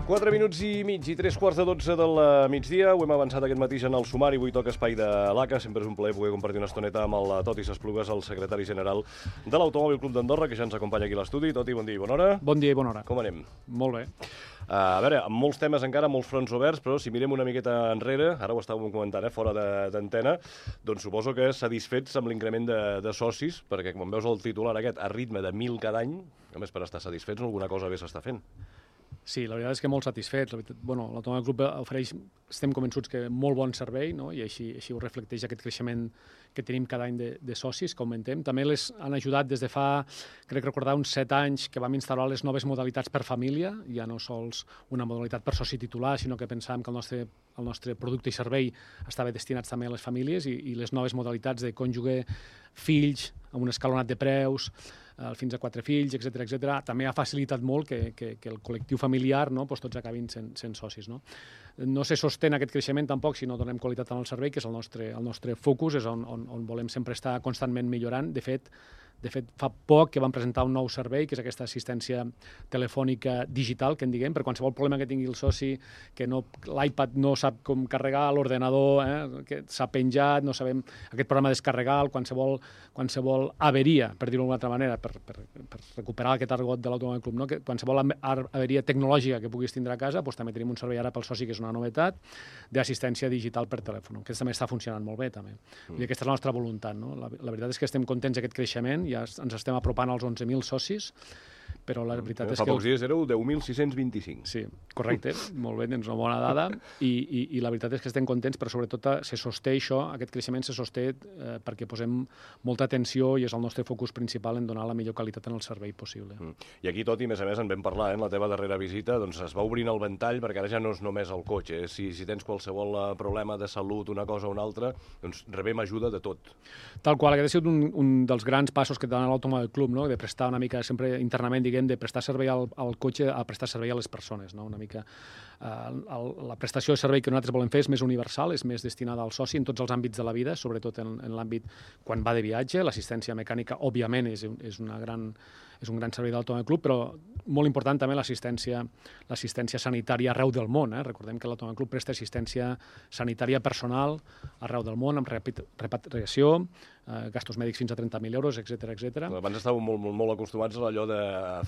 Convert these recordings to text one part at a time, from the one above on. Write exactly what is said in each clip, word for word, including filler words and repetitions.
quatre minuts i mig i tres quarts de dotze del migdia. Ho hem avançat aquest matí en el sumari. Avui toca espai de l'A C A. Sempre és un plaer poder compartir una estoneta amb el Toti S'Esplugues, el secretari general de l'Automòbil Club d'Andorra, que ja ens acompanya aquí a l'estudi. Toti, bon dia i bona hora. Bon dia i bona hora. Com anem? Molt bé. Uh, a veure, amb molts temes encara, molts fronts oberts, però si mirem una miqueta enrere, ara ho estàvem comentant, eh, fora d'antena, doncs suposo que satisfets amb l'increment de, de socis, perquè quan veus el titular aquest a ritme de mil cada any, a més per estar satisfets alguna cosa bé s'està fent. Sí, la veritat és que molt satisfets. Bueno, l'Automòbil Club ofereix, estem convençuts que molt bon servei, no? I així, així ho reflecteix aquest creixement que tenim cada any de, de socis, que augmentem. També les han ajudat des de fa, crec recordar, uns set anys que vam instal·lar les noves modalitats per família, ja no sols una modalitat per soci titular, sinó que pensàvem que el nostre, el nostre producte i servei estava destinats també a les famílies i, i les noves modalitats de cònjuge, fills, amb un escalonat de preus, fins a quatre fills, etcètera, etcètera, també ha facilitat molt que, que, que el col·lectiu familiar, no, doncs tots acabin sent, sent socis. No? No se sostén aquest creixement tampoc si no donem qualitat en el servei, que és el nostre, el nostre focus, és on, on, on volem sempre estar constantment millorant. De fet, de fet, fa poc que vam presentar un nou servei, que és aquesta assistència telefònica digital, que en diguem, per qualsevol problema que tingui el soci, que no, l'iPad no sap com carregar, l'ordenador eh, que s'ha penjat, no sabem aquest programa descarregar, qualsevol, qualsevol averia, per dir-ho d'una altra manera, per, per, per recuperar aquest argot de l'Automòbil Club, no? Que qualsevol averia tecnològica que puguis tindre a casa, doncs també tenim un servei ara pel soci, que és una novetat, d'assistència digital per telèfon, que també està funcionant molt bé, també. Mm. I aquesta és la nostra voluntat, no? La, la veritat és que estem contents d'aquest creixement, ja ens estem apropant als onze mil socis, però la veritat mm. és Fa que... Fa pocs dies éreu deu mil sis-cents vint-i-cinc. Sí, correcte, molt bé, tens una bona dada, i, i, i la veritat és que estem contents, però sobretot se sosté això, aquest creixement se sosté eh, perquè posem molta atenció i és el nostre focus principal en donar la millor qualitat en el servei possible. Mm. I aquí, Toti, a més a més, en vam parlar, eh, en la teva darrera visita, doncs es va obrint el ventall, perquè ara ja no és només el cotxe, eh? si, si tens qualsevol uh, problema de salut, una cosa o una altra, doncs rebem ajuda de tot. Tal qual, aquest ha sigut un, un dels grans passos que dona l'Automòbil Club, no? De prestar una mica, sempre internament, diguem, de prestar servei al, al cotxe a prestar servei a les persones, no? Una mica eh, el, la prestació de servei que nosaltres volem fer és més universal, és més destinada al soci en tots els àmbits de la vida, sobretot en, en l'àmbit quan va de viatge. L'assistència mecànica, òbviament, és, és, una gran, és un gran servei de l'Automòbil Club, però molt important també l'assistència l'assistència sanitària arreu del món. Eh? Recordem que l'Automòbil Club presta assistència sanitària personal arreu del món, amb repatriació, eh, gastos mèdics fins a trenta mil euros, etcètera, etcètera. Abans estàveu molt, molt, molt acostumats a allò de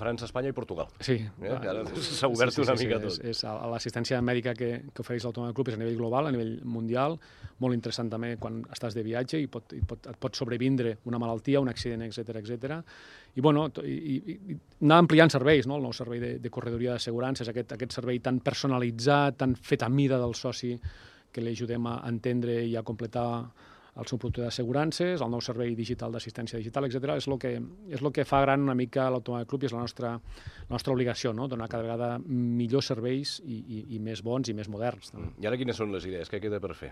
França, Espanya i Portugal. Sí. Eh? Ara s'ha obert sí, sí, una sí, mica sí, tot. És, és l'assistència mèdica que, que ofereix l'Automòbil Club és a nivell global, a nivell mundial, molt interessant també quan estàs de viatge i pot, i pot, et pot sobrevindre una malaltia, un accident, etcètera, etcètera. I, bueno, i, i, i anar ampliant serveis, no? El nou servei de, de corredoria d'assegurances, aquest, aquest servei tan personalitzat, tan fet a mida del soci, que li ajudem a entendre i a completar el seu producte d'assegurances, el nou servei digital d'assistència digital, etcètera, és el que, és el que fa gran una mica l'Automòbil Club i és la nostra, la nostra obligació, no? Donar cada vegada millors serveis i, i, i més bons i més moderns. No? I ara quines són les idees? Què queda per fer?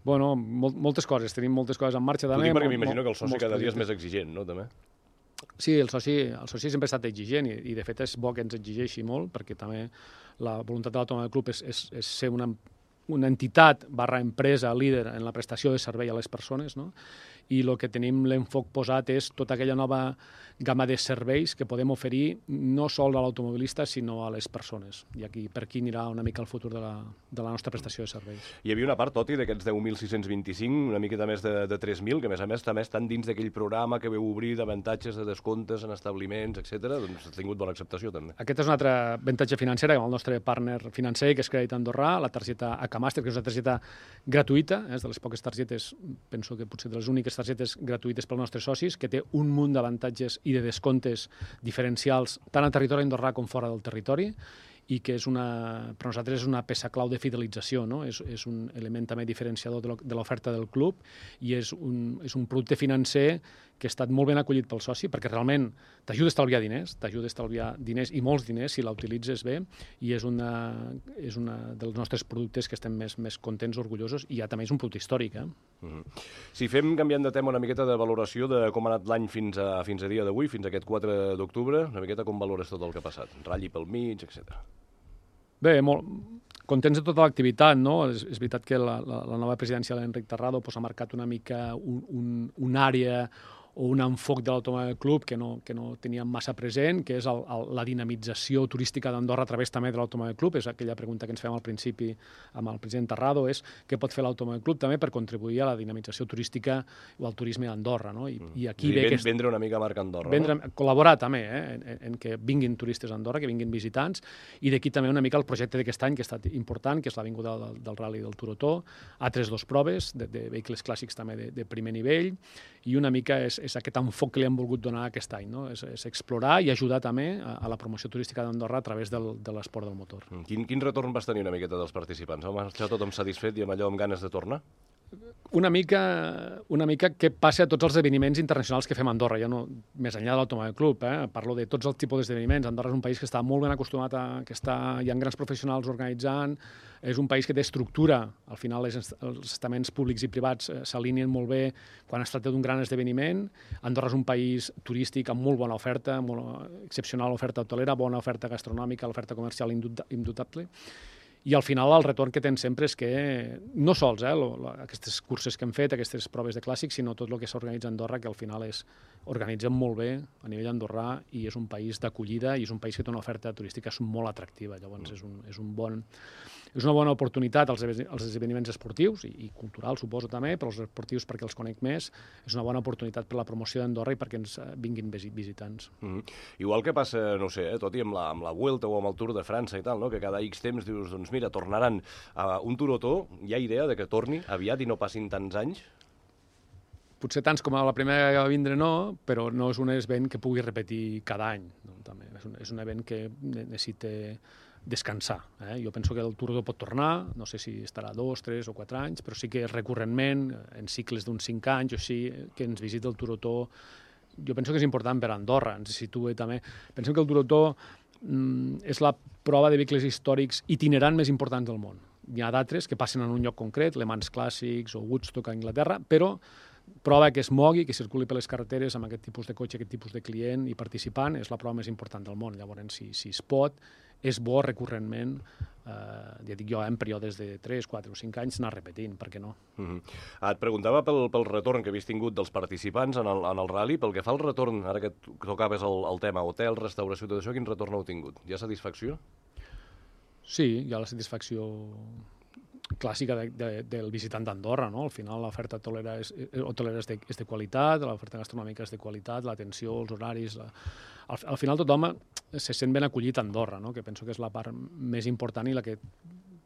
Bueno, mol, moltes coses, tenim moltes coses en marxa. T'ho dic perquè m'imagino que el soci cada dia és més exigent, no, també? Sí, el soci, el soci sempre ha estat exigent i, i de fet és bo que ens exigeixi molt perquè també la voluntat de l'Automòbil Club és, és, és ser una, una entitat barra empresa líder en la prestació de servei a les persones, no? I el que tenim l'enfoc posat és tota aquella nova gamma de serveis que podem oferir no sol a l'automobilista, sinó a les persones. I aquí per aquí anirà una mica el futur de la, de la nostra prestació de serveis. Hi havia una part, Toti, d'aquests deu mil sis-cents vint-i-cinc, una miqueta més de, de tres mil, que a més a més també estan dins d'aquell programa que veu obrir d'avantatges de descomptes en establiments, etcètera. Doncs ha tingut bona acceptació, també. Aquest és un altre avantatge financer amb el nostre partner financer, que és Crèdit Andorrà, la targeta A C A Master, que és una targeta gratuïta, és de les poques targetes, penso que potser de les úniques targetes gratuïtes pels nostres socis, que té un munt d'avantatges i de descomptes diferencials tant al territori andorrà com fora del territori i que és una, per nosaltres és una peça clau de fidelització, no? És, és un element també diferenciador de l'oferta del club i és un, és un producte financer que ha estat molt ben acollit pel soci perquè realment t'ajuda a estalviar diners, t'ajuda a estalviar diners i molts diners si la utilitzes bé i és una, és una dels nostres productes que estem més, més contents, orgullosos i ja també és un producte històric. Eh? Mm-hmm. Si fem, canviant de tema, una miqueta de valoració de com ha anat l'any fins a, fins a dia d'avui, fins a aquest quatre d'octubre, una miqueta com valores tot el que ha passat? Ratlli pel mig, etcètera. Bé, molt contents de tota l'activitat, no? És, és veritat que la, la, la nova presidència de l'Enric Tarrado pues, ha marcat una mica un, un, una àrea o un enfoc de l'Automòbil Club que no, que no teníem massa present, que és el, el, la dinamització turística d'Andorra a través també de l'Automòbil Club. És aquella pregunta que ens fem al principi amb el president Terrado, és què pot fer l'Automòbil Club també per contribuir a la dinamització turística o al turisme d'Andorra. No? I, i aquí I ve ven, aquest... vendre una mica marca Andorra. Vendre, no? Col·laborar també eh, en, en que vinguin turistes a Andorra, que vinguin visitants, i d'aquí també una mica el projecte d'aquest any que ha estat important, que és l'avinguda del, del Rally del Turotó, altres dos proves de, de vehicles clàssics també de, de primer nivell, i una mica és, és aquest enfoc que li hem volgut donar aquest any, no? és, és explorar i ajudar també a, a la promoció turística d'Andorra a través del, de l'esport del motor. Quin, quin retorn vas tenir una miqueta dels participants? Heu marxat tothom satisfet i amb allò amb ganes de tornar? Una mica, una mica què passa a tots els esdeveniments internacionals que fem a Andorra, ja no, més enllà de l'Automòbil Club, eh? Parlo de tots els tipus d'esdeveniments. Andorra és un país que està molt ben acostumat a que està, hi ha grans professionals organitzant, és un país que té estructura, al final les, els estaments públics i privats eh, s'alineen molt bé quan es tracta d'un gran esdeveniment. Andorra és un país turístic amb molt bona oferta, molt excepcional oferta hotelera, bona oferta gastronòmica, l'oferta comercial indubtable. I al final el retorn que tens sempre és que, no sols eh, lo, lo, aquestes curses que hem fet, aquestes proves de clàssics, sinó tot el que s'organitza a Andorra, que al final és organitzem molt bé a nivell andorrà i és un país d'acollida i és un país que té una oferta turística molt atractiva. Llavors és, un, és, un bon, és una bona oportunitat als, als esdeveniments esportius i, i culturals, suposo també, però els esportius perquè els conec més. És una bona oportunitat per la promoció d'Andorra i perquè ens vinguin visitants. Mm-hmm. Igual que passa, no sé, eh, tot i amb la, amb la Vuelta o amb el Tour de França i tal, no? Que cada X temps dius, doncs mira, tornaran a un Turotó. Hi ha idea de que torni aviat i no passin tants anys? Potser tants com a la primera que va vindre no, però no és un event que pugui repetir cada any. No? També és, un, és un event que necessita descansar. Eh? Jo penso que el Turotó pot tornar, no sé si estarà dos, tres o quatre anys, però sí que recurrentment, en cicles d'uns cinc anys o així, que ens visita el Turotó. Jo penso que és important per a Andorra, ens situa també. Pensem que el Turotó mm, és la prova de vehicles històrics itinerant més importants del món. Hi ha d'altres que passen en un lloc concret, Le Mans Clàssics o Woodstock a Anglaterra, però prova que es mogui, que circuli per les carreteres amb aquest tipus de cotxe, aquest tipus de client i participant, és la prova més important del món. Llavors, si, si es pot, és bo recurrentment, eh, ja dic jo, en períodes de tres, quatre o cinc anys, anar repetint, per què no? Mm-hmm. Et preguntava pel, pel retorn que havies tingut dels participants en el, en el rally, pel que fa al retorn, ara que tocaves el, el tema hotel, restauració, tot això, quin retorn heu tingut? Hi ha satisfacció? Sí, hi ha la satisfacció clàssica de, de, del visitant d'Andorra, no? Al final l'oferta hotelera és, hotelera és, de, és de qualitat, l'oferta gastronòmica és de qualitat, l'atenció, els horaris... La... Al, al final tothom se sent ben acollit a Andorra, no? Que penso que és la part més important i la que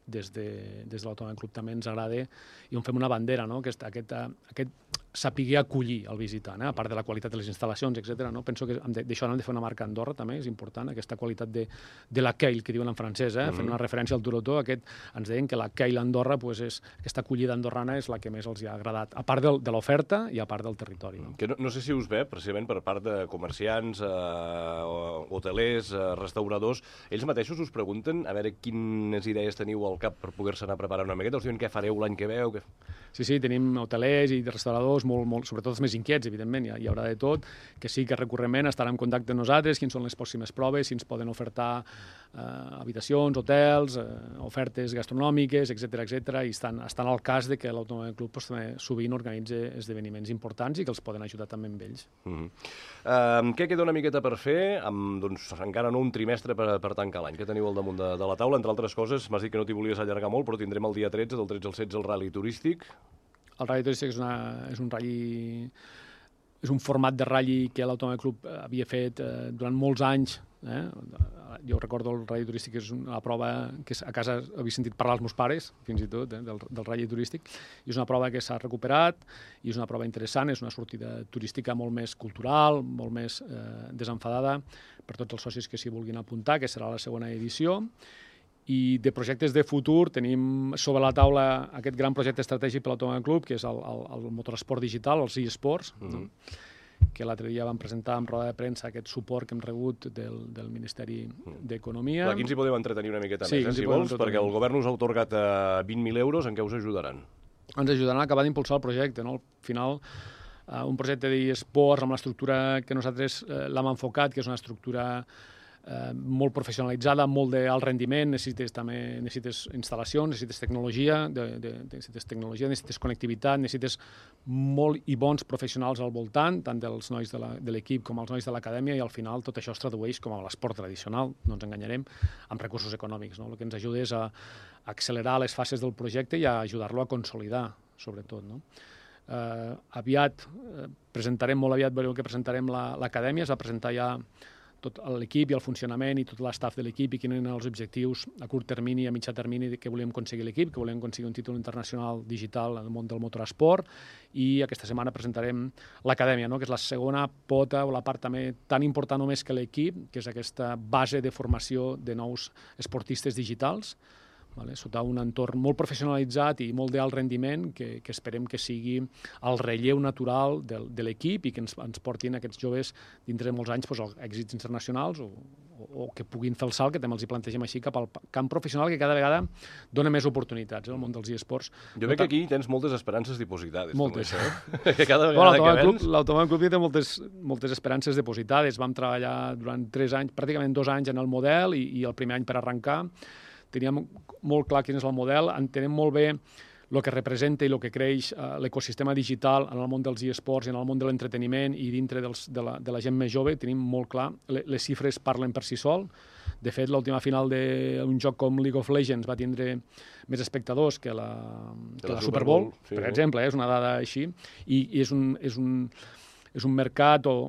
des de, des de l'Automòbil Club també ens agrada i on fem una bandera, no? Aquest, aquest, aquest saber acollir el visitant, eh? A part de la qualitat de les instal·lacions, etcètera. No? Penso que d'això hem de fer una marca a Andorra també, és important, aquesta qualitat de, de l'accueil, que diuen en francès, eh? Mm-hmm. Fent una referència al Turotó, aquest, ens deien que l'accueil a Andorra, pues, és, aquesta acollida andorrana és la que més els ha agradat, a part del, de l'oferta i a part del territori. No? Que no, no sé si us ve, precisament per part de comerciants, eh, hotelers, eh, restauradors, ells mateixos us pregunten a veure quines idees teniu al cap per poder-se anar preparant una miqueta, us diuen què fareu l'any que ve o què... Sí, sí, tenim hotelers i restauradors, molt, molt, sobretot els més inquiets, evidentment, hi, hi haurà de tot, que sí que recurrentment estaran en contacte amb nosaltres, quins són les pròximes proves, si ens poden ofertar eh, habitacions, hotels, eh, ofertes gastronòmiques, etcètera, etcètera, i estan, estan al cas de que l'Automòbil Club pues, també sovint organitza esdeveniments importants i que els poden ajudar també amb ells. Mm-hmm. uh, què queda una miqueta per fer? Amb, doncs, encara no un trimestre per, per tancar l'any. Què teniu al damunt de, de la taula? Entre altres coses, m'has dit que no t'hi volies allargar molt, però tindrem el dia tretze, del tretze al setze, el rally turístic. El rally turístic és, una, és un rally, és un format de rally que l'Automòbil Club havia fet eh, durant molts anys. Eh? Jo recordo el rally turístic, és una prova que a casa havia sentit parlar els meus pares, fins i tot, eh, del, del rally turístic, i és una prova que s'ha recuperat, i és una prova interessant, és una sortida turística molt més cultural, molt més eh, desenfadada per tots els socis que s'hi vulguin apuntar, que serà la segona edició. I de projectes de futur tenim sobre la taula aquest gran projecte estratègic per l'Automòbil Club, que és el, el, el motoresport digital, els eSports, mm-hmm. no? Que l'altre dia vam presentar en roda de premsa aquest suport que hem rebut del, del Ministeri d'Economia. Aquí ens hi podeu entretenir una miqueta sí, més, eh, si vols, perquè el govern us ha atorgat eh, vint mil euros, en què us ajudaran? Ens ajudaran a acabar d'impulsar el projecte, no? Al final, eh, un projecte d'eSports amb l'estructura que nosaltres eh, l'hem enfocat, que és una estructura eh, molt professionalitzada, molt d'alt rendiment, necessites també necessites instal·lacions, necessites tecnologia, de, de, necessites tecnologia, necessites connectivitat, necessites molt i bons professionals al voltant, tant dels nois de l'equip com els nois de l'acadèmia, i al final tot això es tradueix com a l'esport tradicional, no ens enganyarem, amb recursos econòmics. No? El que ens ajuda és a accelerar les fases del projecte i a ajudar-lo a consolidar, sobretot. No? Eh, aviat, eh, presentarem, molt aviat veureu que presentarem l'acadèmia, es va presentar ja tot l'equip i el funcionament i tot l'estaf de l'equip i quins eren els objectius a curt termini i a mitjà termini que volíem aconseguir l'equip, que volíem aconseguir un títol internacional digital en el món del motoresport, i aquesta setmana presentarem l'acadèmia, no? Que és la segona pota o la part també tan important o més que l'equip, que és aquesta base de formació de nous esportistes digitals, vale? Sota un entorn molt professionalitzat i molt d'alt rendiment que, que esperem que sigui el relleu natural de, de l'equip i que ens, ens portin aquests joves dintre de molts anys doncs, èxits internacionals o, o, o que puguin fer el salt, que també els hi plantegem així, cap al camp professional, que cada vegada dona més oportunitats, eh, el món dels eSports. Jo veig que aquí tens moltes esperances dipositades. Moltes. Eh? Que cada vegada bueno, que vens... L'Automòbil Club té moltes, moltes esperances depositades. Vam treballar durant tres anys, pràcticament dos anys en el model i, i el primer any per arrencar. Teníem molt clar quin és el model, entenem molt bé el que representa i el que creix eh, l'ecosistema digital en el món dels eSports i en el món de l'entreteniment i dintre dels, de, la, de la gent més jove, tenim molt clar, les, les xifres parlen per si sol. De fet, l'última final d'un joc com League of Legends va tindre més espectadors que la, que la, la Super Bowl, Bowl sí, per exemple, eh, és una dada així, i, i és, un, és, un, és un mercat o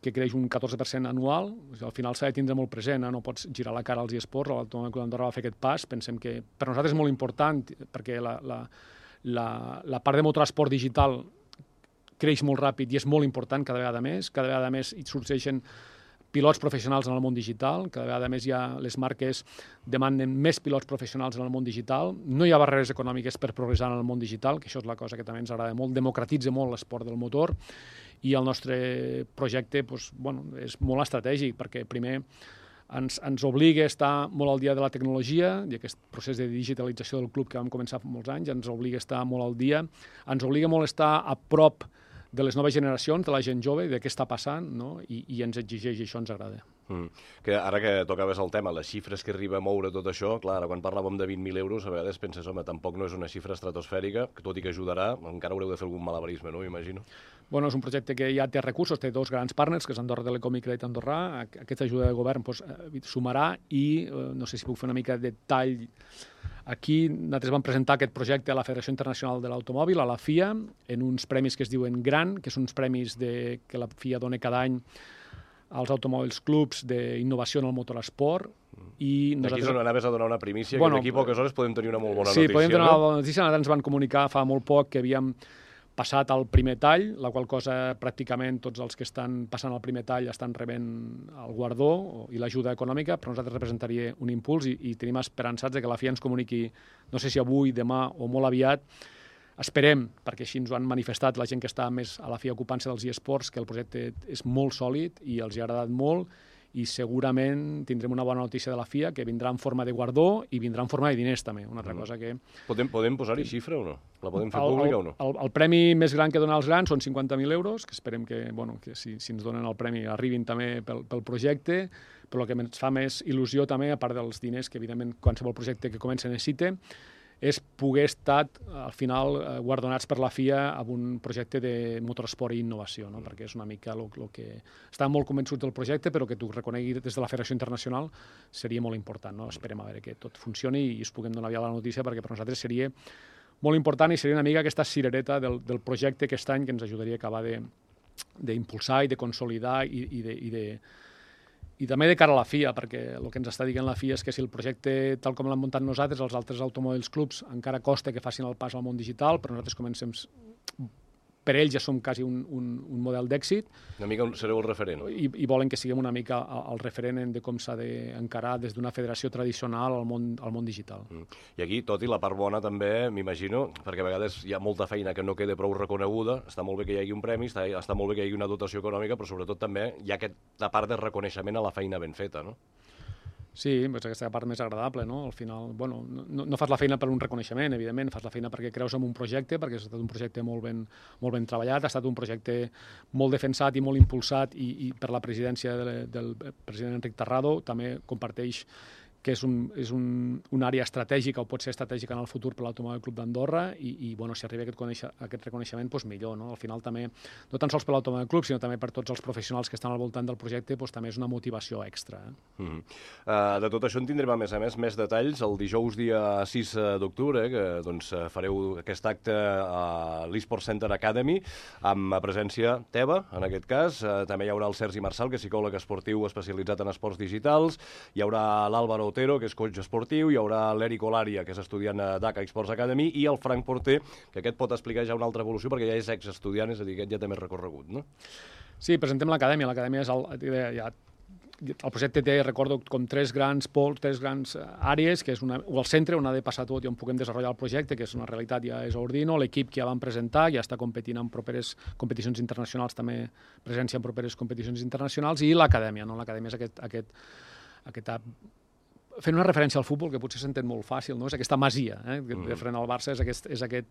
que creix un catorze per cent anual. Al final s'ha de tindre molt present, eh? No pots girar la cara als eSports, l'Automòbil Club d'Andorra va fer aquest pas, pensem que per nosaltres és molt important, perquè la, la, la, la part de motoresport digital creix molt ràpid i és molt important cada vegada més, cada vegada més hi sorgeixen pilots professionals en el món digital, cada vegada més ja les marques demanen més pilots professionals en el món digital, no hi ha barreres econòmiques per progressar en el món digital, que això és la cosa que també ens agrada molt, democratitza molt l'esport del motor, i el nostre projecte doncs, bueno, és molt estratègic, perquè primer ens, ens obliga a estar molt al dia de la tecnologia, i aquest procés de digitalització del club que vam començar fa molts anys ens obliga a estar molt al dia, ens obliga molt a estar a prop de les noves generacions, de la gent jove, de què està passant, no? I, i ens exigeix i això ens agrada. Mm. Que ara que tocaves el tema, les xifres que arriba a moure tot això, clar, ara quan parlàvem de vint mil euros, a vegades penses, home, tampoc no és una xifra estratosfèrica, que tot i que ajudarà, encara haureu de fer algun malabarisme, no? Imagino. Bueno, és un projecte que ja té recursos, té dos grans partners, que és Andorra Telecom i Crèdit Andorrà. Aquesta ajuda de govern doncs, sumarà i, eh, no sé si puc fer una mica de detall. Aquí nosaltres vam presentar aquest projecte a la Federació Internacional de l'Automòbil, a la F I A, en uns premis que es diuen GRAN, que són uns premis de, que la F I A dona cada any als automòbils clubs d'innovació en el motoresport. I nosaltres... Aquí és on anaves a donar una primícia, bueno, que d'aquí poques hores podem tenir una molt bona sí, notícia. Sí, podem tenir no? una bona notícia. Nosaltres ens van comunicar fa molt poc que havíem passat al primer tall, la qual cosa pràcticament tots els que estan passant al primer tall estan rebent el guardó i l'ajuda econòmica, però nosaltres representaria un impuls i, i tenim esperançats de que la F I A ens comuniqui, no sé si avui, demà o molt aviat. Esperem, perquè així ens ho han manifestat la gent que està més a la F I A ocupant-se dels eSports, que el projecte és molt sòlid i els hi ha agradat molt, i segurament tindrem una bona notícia de la F I A, que vindrà en forma de guardó i vindrà en forma de diners també, una altra mm. cosa que... Podem, podem posar-hi xifra o no? La podem fer el, pública el, o no? El, el premi més gran que donen els grans són cinquanta mil euros, que esperem que, bueno, que si, si ens donen el premi arribin també pel, pel projecte, però el que ens fa més il·lusió també, a part dels diners que evidentment qualsevol projecte que comença necessita, és poder estar, al final, guardonats per la F I A amb un projecte de motoresport i innovació, no? Mm. Perquè és una mica el que... Estàvem molt convençuts del projecte, però que t'ho reconegui des de la Federació Internacional seria molt important, no? Esperem a veure que tot funcioni i us puguem donar ja la notícia, perquè per nosaltres seria molt important i seria una mica aquesta cirereta del, del projecte aquest any que ens ajudaria a acabar d'impulsar i de consolidar i, i de... I de I també de cara a la F I A, perquè el que ens està dient la F I A és que si el projecte, tal com l'han muntat nosaltres, els altres automòbils clubs, encara costa que facin el pas al món digital, però nosaltres comencem... Per ells ja som quasi un, un, un model d'èxit. Una mica sereu el referent. I, i volen que siguem una mica el referent de com s'ha d'encarar des d'una federació tradicional al món, al món digital. Mm. I aquí, tot i la part bona també, m'imagino, perquè a vegades hi ha molta feina que no queda prou reconeguda, està molt bé que hi hagi un premi, està, està molt bé que hi hagi una dotació econòmica, però sobretot també hi ha aquesta part de reconeixement a la feina ben feta, no? Sí, és aquesta part més agradable, no? Al final, bueno, no, no fas la feina per un reconeixement, evidentment, fas la feina perquè creus en un projecte, perquè ha estat un projecte molt ben, molt ben treballat, ha estat un projecte molt defensat i molt impulsat i, i per la presidència de, del president Enric Tarrado, també comparteix que és, un, és un, una àrea estratègica o pot ser estratègica en el futur per l'Automòbil Club d'Andorra i, i bueno, si arriba aquest, conèixer, aquest reconeixement, doncs millor. No? Al final també, no tan sols per l'Automòbil Club, sinó també per tots els professionals que estan al voltant del projecte, doncs també és una motivació extra. Eh? Mm -hmm. uh, de tot això en tindrem, a més a més, més detalls el dijous dia sis d'octubre, eh, que doncs, fareu aquest acte a l'eSport Center Academy, amb presència teva, en aquest cas. Uh, també hi haurà el Sergi Marçal, que és psicòleg esportiu especialitzat en esports digitals. Hi haurà l'Àlvaro Otero, que és coach esportiu, hi haurà l'Eric Olaria, que és estudiant a D A C A Sports Academy, i el Frank Porter, que aquest pot explicar ja una altra evolució, perquè ja és exestudiant, és a dir, aquest ja té més recorregut, no? Sí, presentem l'acadèmia. L'acadèmia és el, ja, el projecte té, recordo, com tres grans pols, tres grans àrees, que és una, o el centre on ha de passar tot i on puguem desenvolupar el projecte, que és una realitat ja és Ordino, l'equip que ja van presentar, ja està competint en properes competicions internacionals, també presència en properes competicions internacionals, i l'acadèmia, no? L'acadèmia és aquest, aquest, aquesta fent una referència al futbol, que potser s'entén molt fàcil, no? És aquesta masia, eh? Mm. Referent al Barça, és aquest, és aquest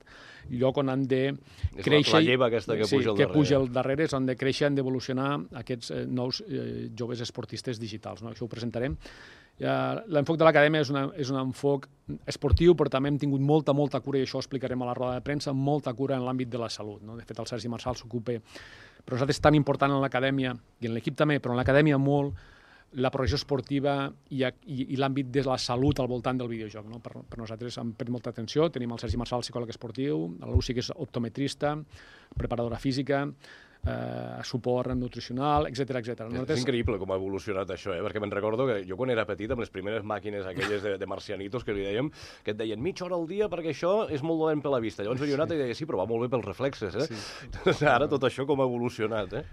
lloc on han de és créixer... És la lleva aquesta que sí, puja al que darrere. puja al darrere, és on de créixer, han d'evolucionar aquests eh, nous eh, joves esportistes digitals, no? Això ho presentarem. Ja, l'enfoc de l'acadèmia és, una, és un enfoc esportiu, però també hem tingut molta, molta cura, i això ho explicarem a la roda de premsa, molta cura en l'àmbit de la salut, no? De fet, el Sergi Marçal s'ocupa... Però nosaltres és tan important en l'acadèmia, i en l'equip també, però en l'acadèmia molt, la progressió esportiva i, i, i l'àmbit de la salut al voltant del videojoc. No? Per, per nosaltres hem pres molta atenció. Tenim el Sergi Marçal, psicòleg esportiu, la Lucy, que és optometrista, preparadora física, eh, suport nutricional, etcètera, etcètera. Nosaltres... És increïble com ha evolucionat això, eh? Perquè me'n recordo que jo quan era petit, amb les primeres màquines aquelles de, de marcianitos que li dèiem, que et deien mitja hora al dia perquè això és molt dolent per la vista. Llavors venia un altre i deia, sí, però va molt bé pels reflexes, eh? Sí. Ara tot això com ha evolucionat, eh?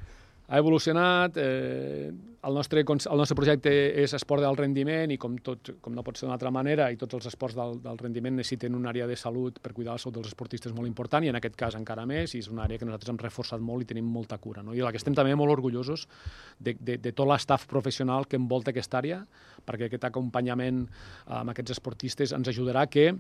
Ha evolucionat, eh, el, nostre, el nostre projecte és esport del rendiment i com, tot, com no pot ser d'una altra manera, i tots els esports del, del rendiment necessiten una àrea de salut per cuidar la salut dels esportistes molt important, i en aquest cas encara més, i és una àrea que nosaltres hem reforçat molt i tenim molta cura. No? I la que estem també molt orgullosos de, de, de tot l'estaf professional que envolta aquesta àrea, perquè aquest acompanyament amb aquests esportistes ens ajudarà que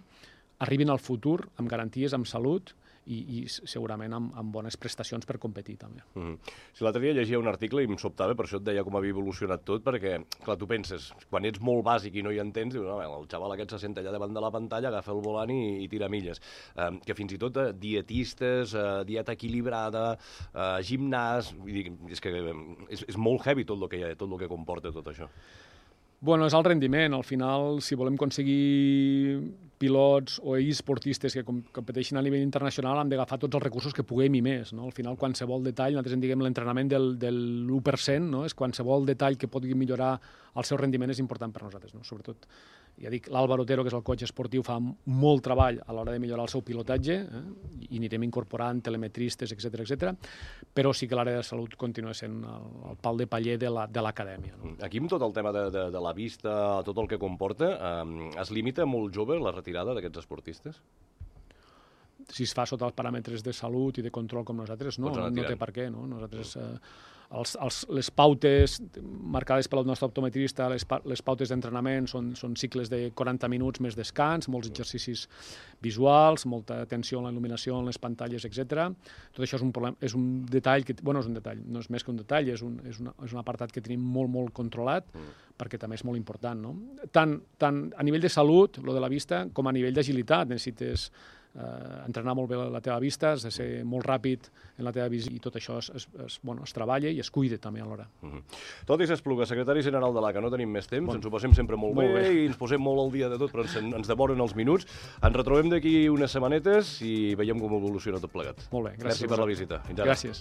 arribin al futur amb garanties, amb salut, i, i segurament amb, amb bones prestacions per competir, també. Mm -hmm. Si l'altre dia llegia un article i em sobtava, per això et deia com havia evolucionat tot, perquè, clar, tu penses, quan ets molt bàsic i no hi entens, dius, no, el xaval aquest se sent allà davant de la pantalla, agafa el volant i, i tira milles. Eh, que fins i tot eh, dietistes, eh, dieta equilibrada, eh, gimnàs, vull dir, és que eh, és, és molt heavy tot el que, hi ha, tot el que comporta tot això. Bueno, és el rendiment. Al final, si volem aconseguir pilots o esportistes que competeixin a nivell internacional, hem d'agafar tots els recursos que puguem i més. No? Al final, qualsevol detall, nosaltres en diguem l'entrenament del, del l'u per cent, no? És qualsevol detall que pugui millorar el seu rendiment és important per nosaltres. No? Sobretot, ja dic, l'Àlvaro Otero, que és el coach esportiu, fa molt treball a l'hora de millorar el seu pilotatge, eh? I anirem incorporant telemetristes, etcètera, etcètera. Però sí que l'àrea de salut continua sent el, el pal de paller de l'acadèmia. La, no? Aquí amb tot el tema de, de, de la vista, tot el que comporta, eh, es limita molt jove la retirada d'aquests esportistes? Si es fa sota els paràmetres de salut i de control com nosaltres, no, no té per què. No? Nosaltres, eh, els, els, les pautes marcades pel nostre optometrista, les, pa, les pautes d'entrenament són, són cicles de quaranta minuts més descans, molts exercicis visuals, molta atenció en la il·luminació, en les pantalles, etcètera. Tot això és un, problem, és un detall, que, bueno, és un detall, no és més que un detall, és un, és una, és un apartat que tenim molt, molt controlat, mm. perquè també és molt important. No? Tant, tant a nivell de salut, lo de la vista, com a nivell d'agilitat. Necessites Uh, entrenar molt bé la teva vista, has de ser molt ràpid en la teva visió, i tot això es, es, es, bueno, es treballa i es cuida també alhora. Uh -huh. Tot i s'Espluga, secretari general de l'A C A, no tenim més temps, bon. Ens ho passem sempre molt, molt bé, bé i ens posem molt al dia de tot, però ens, ens devoren els minuts. Ens retrobem d'aquí unes setmanetes i veiem com evoluciona tot plegat. Molt bé, gràcies. Merci per la visita. Gràcies.